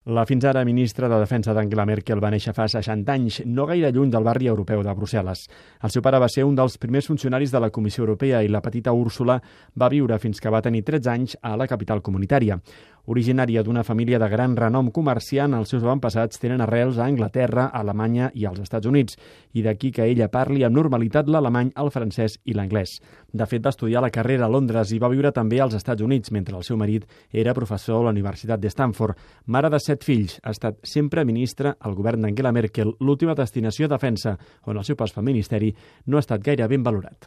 La fins ara ministra de Defensa d'Angela Merkel va néixer fa 60 anys, no gaire lluny del barri europeu de Brussel·les. El seu pare va ser un dels primers funcionaris de la Comissió Europea i la petita Úrsula va viure fins que va tenir 13 anys a la capital comunitària. Originària d'una família de gran renom comerciant, els seus avantpassats tenen arrels a Anglaterra, Alemanya i als Estats Units, i d'aquí que ella parli amb normalitat l'alemany, el francès i l'anglès. De fet, va estudiar la carrera a Londres i va viure també als Estats Units, mentre el seu marit era professor a la Universitat de Stanford. Mare de 7 fills, ha estat sempre ministra al govern d'Angela Merkel, l'última destinació a defensa, on el seu pas pel ministeri no ha estat gaire ben valorat.